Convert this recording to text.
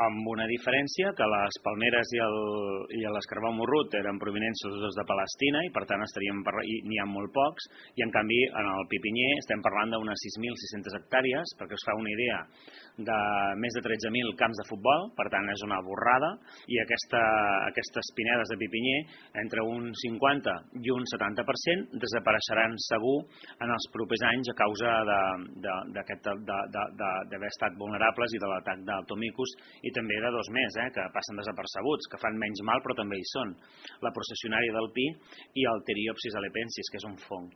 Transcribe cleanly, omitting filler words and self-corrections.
amb una diferència que les palmeres i l'escarbau morrut eren provinents sobretot de Palestina i per tant n'hi ha molt pocs, i en canvi en el pipinyer estem parlant d'unes 6.600 hectàrees, perquè us fa una idea, de més de 13.000 camps de futbol, per tant és una borrada, i aquestes pinedes de pipinyer entre un 50 i un 70% desapareixeran segur en els propers anys a causa d'haver estat vulnerables i de l'atac del Tomicus, i també de dos més, que passen desapercebuts, que fan menys mal però també hi són, la processionària del pi i el Pteriopsis alepensis, que és un fong.